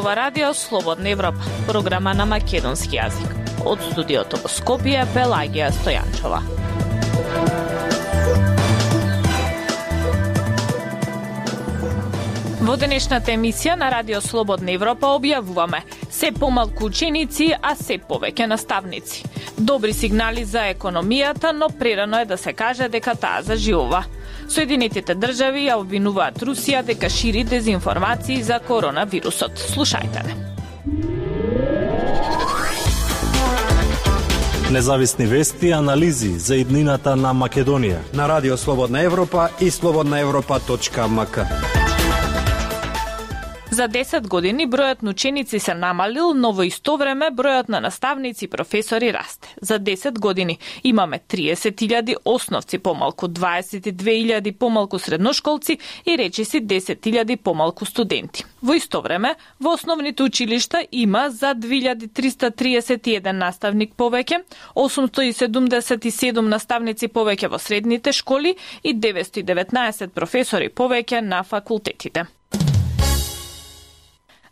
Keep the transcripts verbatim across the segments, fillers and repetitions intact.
ова радио Слободна Европа, програма на македонски јазик. Од студиото во Скопје, Пелагија Стојанчова. Во денешната емисија на Радио Слободна Европа објавуваме се помалку ученици, а се повеќе наставници. Добри сигнали за економијата, но прерано е да се каже дека таа заживува. Соединетите држави ја обвинуваат Русија дека шири дезинформации за коронавирусот. Слушајте не. Независни вести и анализи за иднината на Македонија на Радио Слободна Европа и слободна европа точка ем ка. За десет години бројот на ученици се намалил, но во исто време бројот на наставници и професори расте. За десет години имаме триесет илјади основци помалку, дваесет и две илјади помалку средношколци и речиси десет илјади помалку студенти. Во исто време, во основните училишта има за две илјади триста триесет и еден наставник повеќе, осумстотини и седумдесет и седум наставници повеќе во средните школи и деветстотини и деветнаесет професори повеќе на факултетите.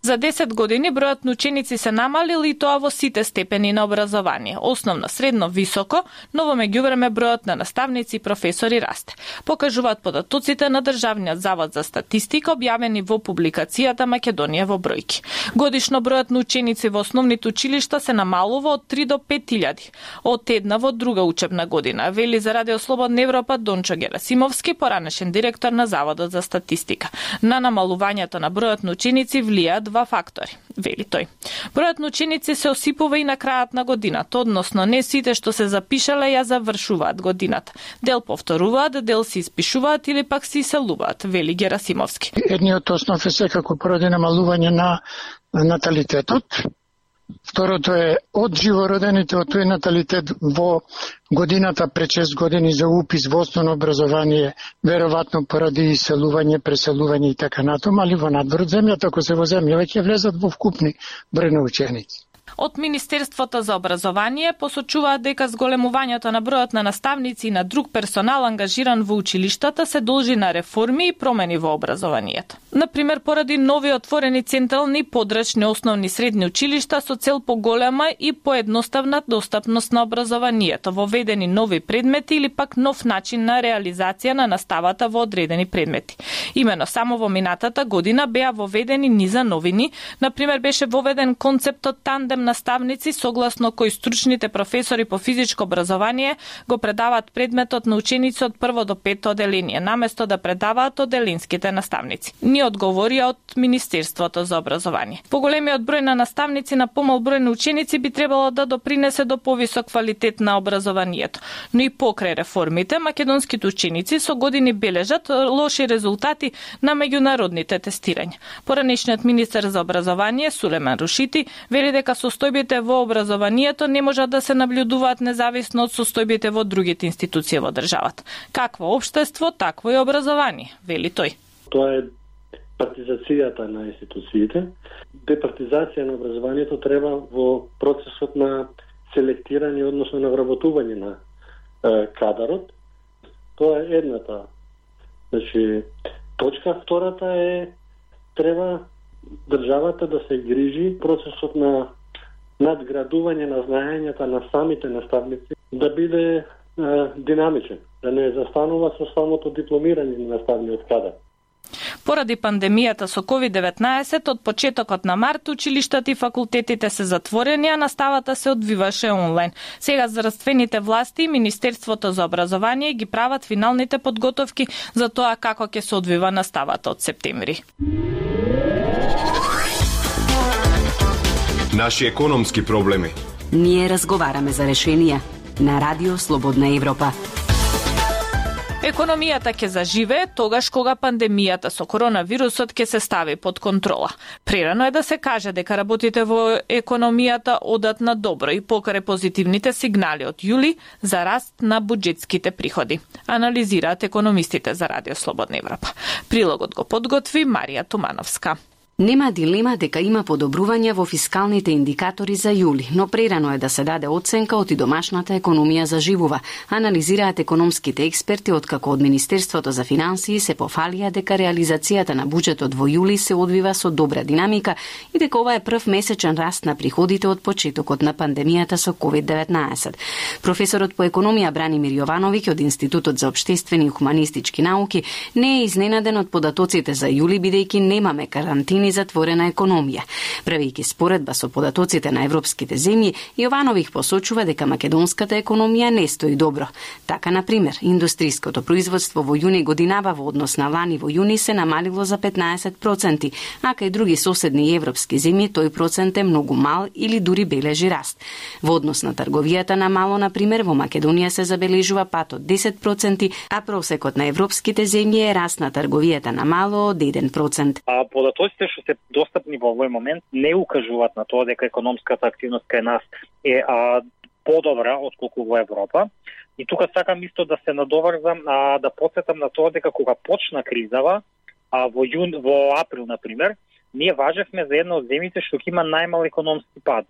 За десет години бројот на ученици се намалил и тоа во сите степени на образование. Основно, средно, високо, но во меѓувреме бројот на наставници и професори расте. Покажуваат податоците на Државниот завод за статистика објавени во публикацијата Македонија во бројки. Годишно бројот на ученици во основните училишта се намалува од три до пет илјади, од една во друга учебна година, вели за Радио Слободна Европа Дончо Герасимовски, поранешен директор на Заводот за статистика. На намалувањето на бројот на ученици влијаат два фактори, вели тој. Бројот на ученици се осипува и на крајот на годината, односно не сите што се запишале ја завршуваат годината. Дел повторуваат, дел се испишуваат или пак се иселуваат, вели Герасимовски. Едниот основ е секако поради намалување на наталитетот. Второто е од живородените, од тој наталитет во годината пред шест години за упис во основно образование, веројатно поради иселување, преселување и така натаму, али во надвор од земјата, ако се во земја, веќе влезат во вкупни број на ученици. Од Министерството за образование посочуваат дека зголемувањето на бројот на наставници и на друг персонал ангажиран во училиштата се должи на реформи и промени во образованието. Например, поради нови отворени централни, подрачни основни и средни училишта со цел поголема и поедноставна достапност на образованието, воведени нови предмети или пак нов начин на реализација на наставата во одредени предмети. Имено само во минатата година беа воведени низа новини, например беше воведен концептот тандем наставници, согласно кој стручните професори по физичко образование го предаваат предметот на ученици од прво до пето оделение, наместо да предаваат оделинските наставници. Ни одговорија од Министерството за образование. Поголемиот број на наставници на помал број на ученици би требало да допринесе до повисок квалитет на образованието. Но и покрај реформите, македонските ученици со години бележат лоши резултати на меѓународните тестирања. Поранешниот министер за образование Сулеман Рушити вели дека состојбите во образованието не можат да се наблюдуваат независно од состојбите во другите институции во државата. Какво општество, такво и образование, вели тој. Тоа е партизацијата на институциите. Департизација на образованието треба во процесот на селектирање, односно на вработување на е, кадарот. Тоа е едната. Значи, точка втората е треба државата да се грижи процесот на надградување на знаењата на самите наставници да биде е, динамичен, да не застанува со самото дипломирање на наставниот кадар. Поради пандемијата со ковид деветнаесет, од почетокот на март училиштата и факултетите се затворени, а наставата се одвиваше онлайн. Сега здравствените власти и Министерството за образование ги прават финалните подготовки за тоа како ќе се одвива наставата од септември. Наши економски проблеми. Ние разговараме за решенија на Радио Слободна Европа. Економијата ќе заживее тогаш кога пандемијата со коронавирусот ќе се стави под контрола. Прерано е да се каже дека работите во економијата одат на добро и покрај позитивните сигнали од јули за раст на буџетските приходи. Анализираат економистите за Радио Слободна Европа. Прилогот го подготви Марија Тумановска. Нема дилема дека има подобрување во фискалните индикатори за јули, но прерано е да се даде оценка од и домашната економија заживува. Анализираат економските експерти откако од Министерството за финансии се пофалија дека реализацијата на буџетот во јули се одвива со добра динамика и дека ова е прв месечен раст на приходите од почетокот на пандемијата со ковид деветнаесет. Професорот по економија Бранимир Јовановиќ од Институтот за општествени и хуманистички науки не е изненаден од податоците за јули бидејќи немаме карантини затворена економија. Правејќи споредба со податоците на европските земји, Јовановиќ посочува дека македонската економија не стои добро. Така, на пример, индустријското производство во јуни годинава во однос на лани во јуни се намалило за петнаесет проценти, а кај други соседни европски земји тој процент е многу мал или дури бележи раст. Во однос на трговијата на мало, на пример, во Македонија се забележува пат од десет проценти, а просекот на европските земји е раст на трговијата на мало од еден процент. А податоците што се достапни во овој момент не укажуваат на тоа дека економската активност кај нас е а, подобра отколку во Европа. И тука сакам исто да се надоврзам, а, да потсетам на тоа дека кога почна кризава, а, во јун, во април, на пример, ние важевме за една од земјите што ќе има најмал економски пад.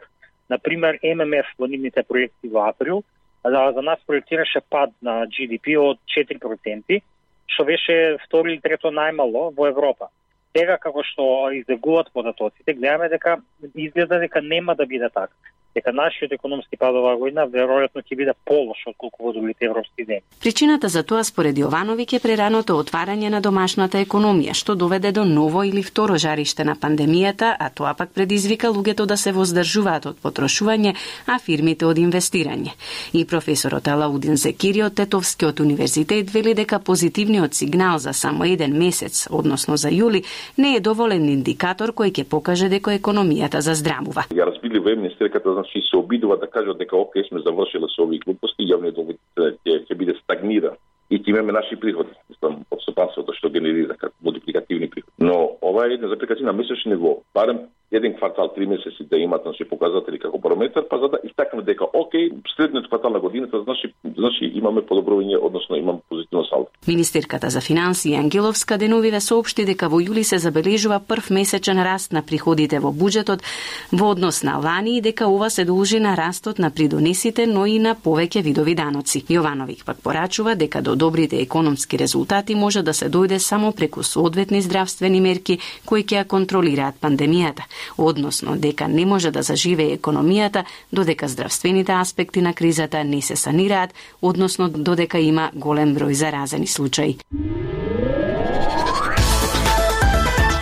На пример, Ем Ем Еф во нивните проекти во април, а, за нас проектираше пад на Джи Ди Пи од четири проценти, што беше второ или трето најмало во Европа. Сега, како што излегуваат податоците, гледаме дека изгледа дека нема да биде така. Дека нашиот економски пад оваа година веројатно ќе биде полош отколку во другите европски земји. Причината за тоа според Јовановиќ е прераното отварање на домашната економија, што доведе до ново или второ жариште на пандемијата, а тоа пак предизвика луѓето да се воздржуваат од потрошување, а фирмите од инвестирање. И професорот Алаудин Зекири од Тетовскиот универзитет вели дека позитивниот сигнал за само еден месец, односно за јули, не е доволен индикатор кој ќе покаже дека економијата заздравува. Ја разбили во министерката, значи се обидува да кажат дека окей сме завршиле со овие глупости, јавниот дол ќе ќе биде стагнира и ќе имаме наши приходи, мислам, од стопанството што генерира како мултипликативни приходи. Но ова е една заприкација на месечни ниво, барем еден квартал, три месеци да имат наши показатели како параметар, па за да истакнеме дека окей, средниот квартал на годината значи значи имаме подобрување, односно имаме позитивно салдо. Министерката за финансии Ангеловска деновиве соопшти дека во јули се забележува прв месечен раст на приходите во буџетот во однос на лани и дека ова се должи на растот на придонесите, но и на повеќе видови даноци. Јовановиќ пак порачува дека до добрите економски резултати може да се дојде само преку соодветни здравствени мерки кои ќе ја контролираат пандемијата, односно дека не може да заживее економијата додека здравствените аспекти на кризата не се санираат, односно додека има голем број заразени случаи.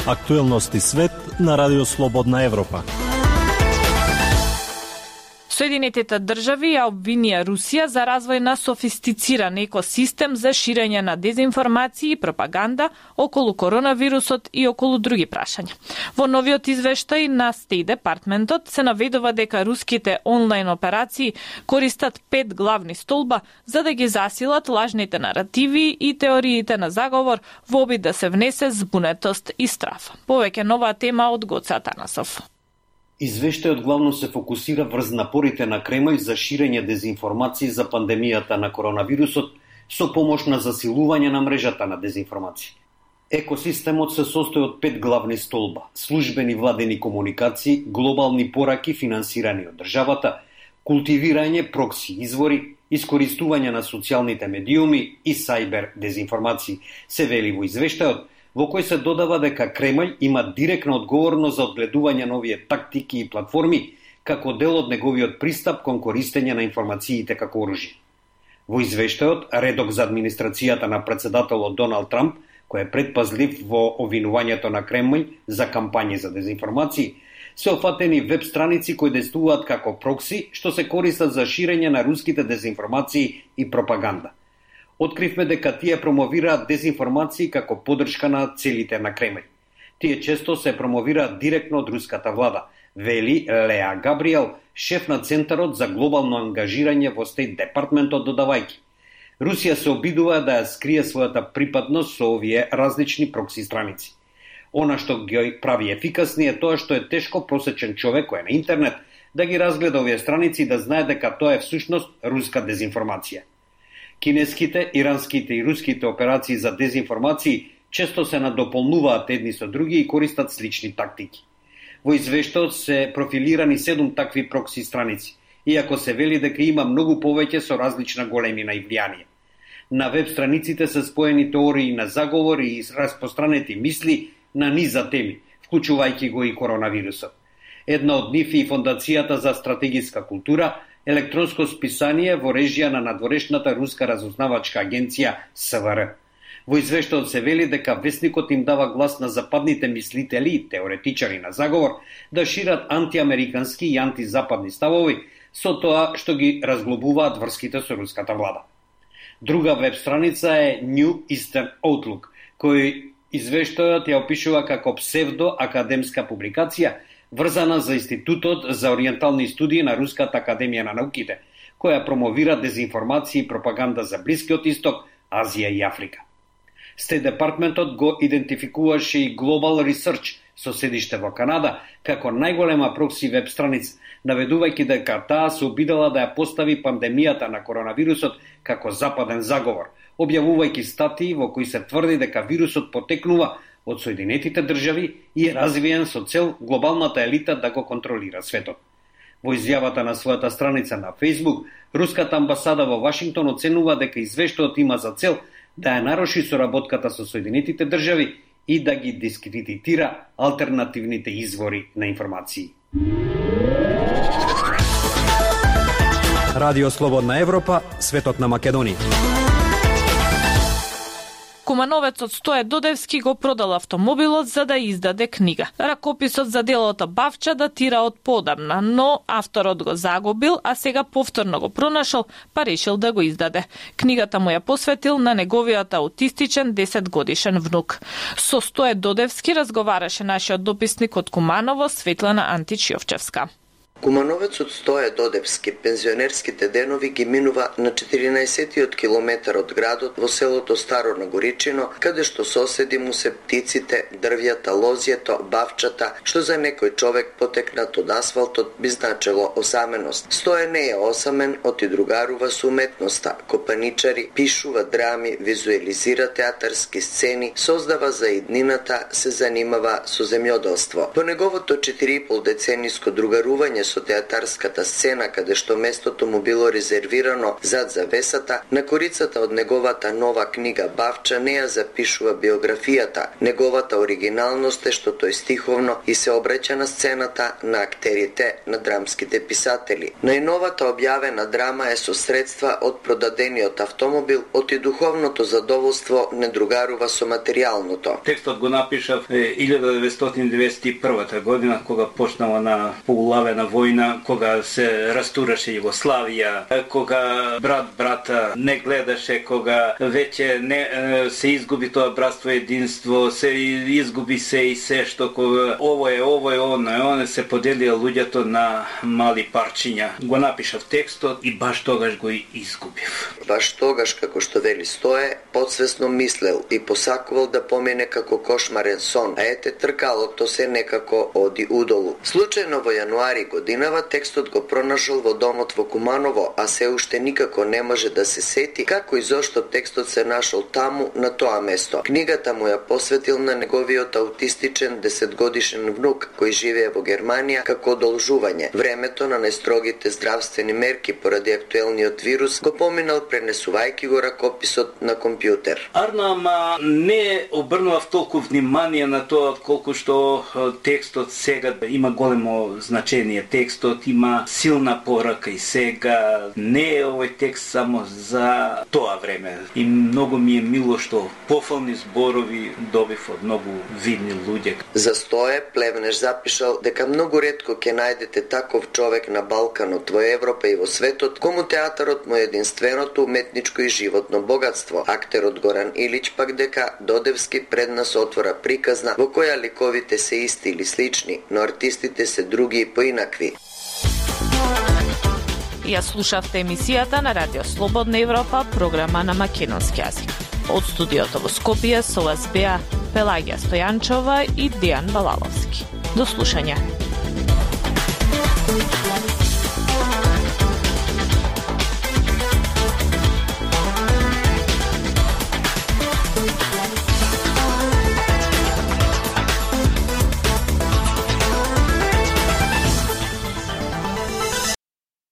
Актуелности свет на Радио Слободна Европа. Соединетите држави ја обвинија Русија за развој на софистициран екосистем за ширење на дезинформации и пропаганда околу коронавирусот и околу други прашања. Во новиот извештај на Стейт Департментот се наведува дека руските онлайн операции користат пет главни столба за да ги засилат лажните наративи и теориите на заговор во обид да се внесе збунетост и страф. Повеќе нова тема од Гоце Атанасов. Извештајот главно се фокусира врз напорите на Кремљ за ширење дезинформации за пандемијата на коронавирусот со помош на засилување на мрежата на дезинформации. Екосистемот се состои од пет главни столба: службени владени комуникации, глобални пораки финансирани од државата, култивирање прокси извори, искористување на социјалните медиуми и сајбер дезинформации, се вели во извештајот, во кој се додава дека Кремљ има директна одговорност за одгледување на овие тактики и платформи како дел од неговиот пристап кон користење на информациите како оружје. Во извештајот, редок за администрацијата на председателот Доналд Трамп, кој е предпазлив во обвинувањето на Кремљ за кампањи за дезинформации, се офатени веб страници кои действуваат како прокси, што се користат за ширење на руските дезинформации и пропаганда. Откривме дека тие промовираат дезинформации како поддршка на целите на Кремљ. Тие често се промовираат директно од руската влада, вели Леа Габриел, шеф на Центарот за глобално ангажирање во Стейт Департментот, додавајќи: Русија се обидува да ја скрие својата припадност со овие различни прокси страници. Она што ги прави ефикасни е тоа што е тешко просечен човек кој е на интернет да ги разгледа овие страници и да знае дека тоа е всушност руска дезинформација. Кинеските, иранските и руските операции за дезинформации често се надополнуваат едни со други и користат слични тактики. Во извештајот се профилирани седум такви прокси страници, иако се вели дека има многу повеќе со различна големина и влијание. На веб страниците се споени теории на заговор и распространети мисли на низа теми, вклучувајќи го и коронавирусот. Една од нив е Фондацијата за стратегиска култура, електронско списание во режија на надворешната руска разузнавачка агенција С В Р. Во извештајот се вели дека весникот им дава глас на западните мислители и теоретичари на заговор да шират антиамерикански и антизападни ставови со тоа што ги разглобуваат врските со руската влада. Друга веб страница е New Eastern Outlook, кој извештајот ја опишува како псевдо-академска публикација врзана за Институтот за ориентални студии на Руската академија на науките, која промовира дезинформација и пропаганда за Блискиот Исток, Азија и Африка. Стейт Департментот го идентификуваше и Global Research со седиште во Канада како најголема прокси веб страница, наведувајќи дека таа се обидела да ја постави пандемијата на коронавирусот како западен заговор, објавувајќи статии во кои се тврди дека вирусот потекнува од Соединетите држави и е развиен со цел глобалната елита да го контролира светот. Во изјавата на својата страница на Facebook, Руската амбасада во Вашингтон оценува дека извештајот има за цел да ја наруши соработката со Соединетите држави и да ги дискредитира алтернативните извори на информации. Радио Слободна Европа, светот на Македонија. Кумановецот Стоје Додевски го продал автомобилот за да издаде книга. Ракописот за делото Бавча датира од подамна, но авторот го загубил, а сега повторно го пронашол, па решил да го издаде. Книгата му ја посветил на неговиот аутистичен десетгодишен внук. Со Стоје Додевски разговараше нашиот дописник од Куманово, Светлана Антич-Јовчевска. Кумановецот Стоје Додевски пензионерските денови ги минува на четиринаесеттиот километар од градот во селото Старо Нагоричино, каде што соседи му се птиците, дрвјата, лозјето, бавчата, што за некој човек потекнат од асфалтот би значело осаменост. Стоје не е осамен, оти другарува со уметноста, копаничари, пишува драми, визуелизира театарски сцени, создава за иднината, се занимава со земјоделство. По неговото четири и пол децениско другарување со театарската сцена, каде што местото му било резервирано зад завесата, на корицата од неговата нова книга Бавча не ја запишува биографијата. Неговата оригиналност е што тој стиховно и се обраќа на сцената на актерите, на драмските писатели. Најновата објавена драма е со средства од продадениот автомобил, оти духовното задоволство не другарува со материјалното. Текстот го напишав илјада деветстотини деветдесет и прва година, кога почнала на поулавена војна, кога се растураше Југославија, кога брат брата не гледаше, кога веќе не се изгуби тоа братство единство, се изгуби се и се што кога ово е, ово е, оно е, оно се поделија луѓето на мали парчиња. Го напишав текстот и баш тогаш го изгубив. Баш тогаш, како што вели Стоје, подсвесно мислел и посакувал да помине како кошмарен сон, а ете тркалото се некако оди удолу. Случајно во јануари годинава текстот го пронашол во домот во Куманово, а се уште никако не може да се сети како и зошто текстот се нашол таму на тоа место. Книгата му ја посветил на неговиот аутистичен десетгодишен внук кој живее во Германија како одолжување. Времето на најстрогите здравствени мерки поради актуелниот вирус го поминал пренесувајќи го ракописот на компјутер. Арно, ама не обрнував толку внимание на тоа колку што текстот сега има големо значение. Текстот има силна порака и сега не е овој текст само за тоа време. И многу ми е мило што пофални зборови добив од многу видни луѓе. За Стоје Плевнеш запишал дека многу ретко ќе најдете таков човек на Балканот, во Европа и во светот, кому театарот му е единственото уметничко и животно богатство. Актерот Горан Илич пак дека Додевски пред нас отвора приказна во која ликовите се исти или слични, но артистите се други и поинакви. Ја слушавте емисијата на Радио Слободна Европа, програма на македонски јазик. Од студиото во Скопје со вас беа Пелагија Стојанчова и Дејан Балаловски. До слушање.